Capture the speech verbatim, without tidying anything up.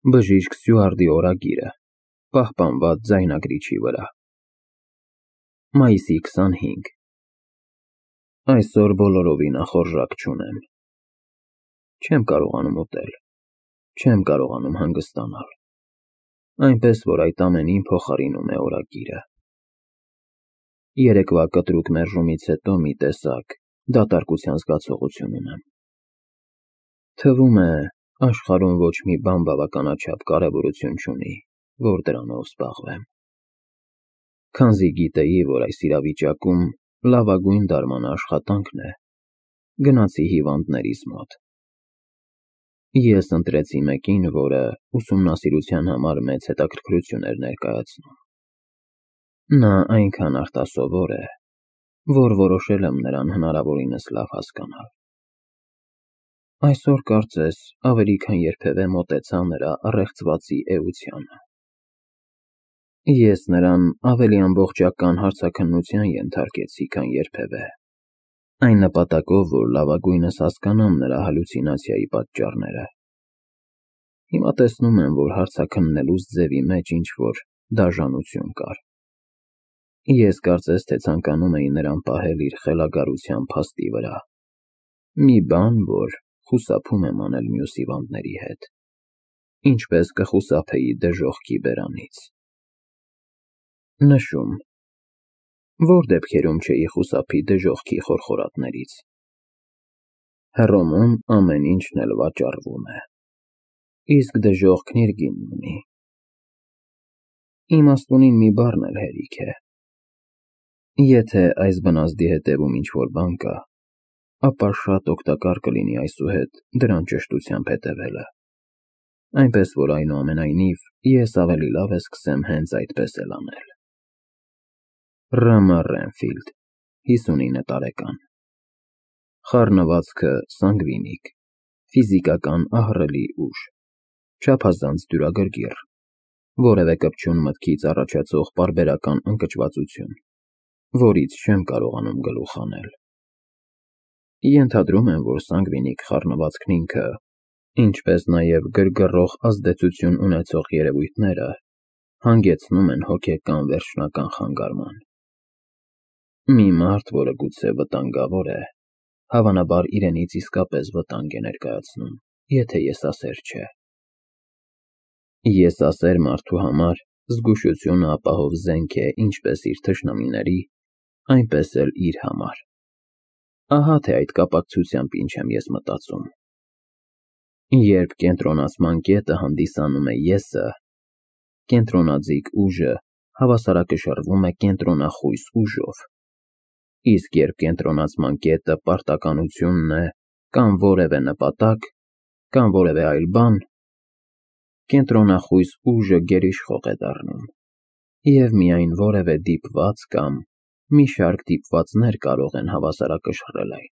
Բժիշկ Սյուարտի օրագիրը, պահպանված ձայնագրիչի վրա։ Մայիսի քսանհինգ Այսօր բոլորովին ախորժակ չունեմ։ Չեմ կարողանում ուտել, չեմ կարողանում հանգստանալ, այնպես որ այդ ամենին փոխարինում է օրագիրը։ Երեկվա կտրուկ մերժումից հետո մի տեսակ դատարկության զգացողություն ունեմ։ Թվում է, աշխարհում ոչ մի բան բավականաչափ կարևորություն չունի, որ դրանով զբաղվեմ։ Քանզի գիտեի, որ այս իրավիճակում լավագույն դարմանը աշխատանքն է, գնացի հիվանդներիս մոտ։ Ես ընտրեցի մեկին, որը ուսումնասիրության համար մեծ հետաքրքրություն էր ներկայացնում։ Նա այնքան արտասովոր է, որ որոշել եմ նրան հնարավորինս լավ հասկանալ։ Այսօր կարծես ավելի քան երբևէ մոտեցա նրա առեղծվածի էությանը։ Ես նրան ավելի ամբողջական հարցաքննության ենթարկեցի, քան երբևէ, այն նպատակով, որ լավագույնս հասկանամ նրա հալյուցինացիայի պատճառները։ Հիմա տեսնում եմ, որ հարցաքննելուս ձևի մեջ ինչ-որ դաժանություն կար։ Ես կարծես թե ցանկանում էի նրան պահել իր խելագարության փաստի վրա, մի բան, որ խուսափում եմ անել մյուս հիվանդների հետ, ինչպես կխուսափեի դժոխքի բերանից։ Նշում. որ դեպքերում չէի խուսափի դժոխքի խորխորատներից։ Հռոմում ամեն ինչն էլ վաճառվում է, իսկ դժոխքն իր գինն ունի։ Իմաստունին մի բառն էլ հերիք է։ Եթե այս բնազդի հետևում ինչ-որ բան կա, ապա շատ օգտակար կլինի այսուհետ դրան ճշտությամբ հետևելը, այնպես որ այնուամենայնիվ ես ավելի լավ է սկսեմ հենց այդպես էլ անել։ Ռամա Ռենֆիլդ, հիսունինը տարեկան, խառնվածքը սանգվինիկ, ֆիզիկական ահռելի ուժ, չափազանց դյուրագրգիռ, որևէ կպչուն մտքից առաջացող պարբերական ընկճվածություն, որից չեմ կարողանում գլուխ հանել։ Ենթադրում եմ, որ սանգվինիկ խառնվածքն ինքը, ինչպես նաև գրգռող ազդեցություն ունեցող երևույթները, հանգեցնում են հոգեկան վերջնական խանգարման։ Մի մարդ, որը գուցե վտանգավոր է, հավանաբար իրենից իսկապես վտանգ է ներկայացնում, եթե եսասեր չէ։ Եսասեր մարդու համար զգուշությունը ապահով զենք է ինչպես իր թշնամիների, այնպես էլ իր համար։ Ահա թե այդ կապակցությամբ ինչ եմ ես մտածում։ Երբ կենտրոնացման կետը հանդիսանում է եսը, կենտրոնաձիգ ուժը հավասարակշռվում է կենտրոնախույս ուժով, իսկ երբ կենտրոնացման կետը պարտականությունն է կամ որևէ նպատակ, կամ որևէ այլ բան, կենտրոնախույս ուժը գերիշխող է դառնում, և միայն որևէ դիպված կամ մի շարք դիպվածներ կարող են հավասարակշռել այն։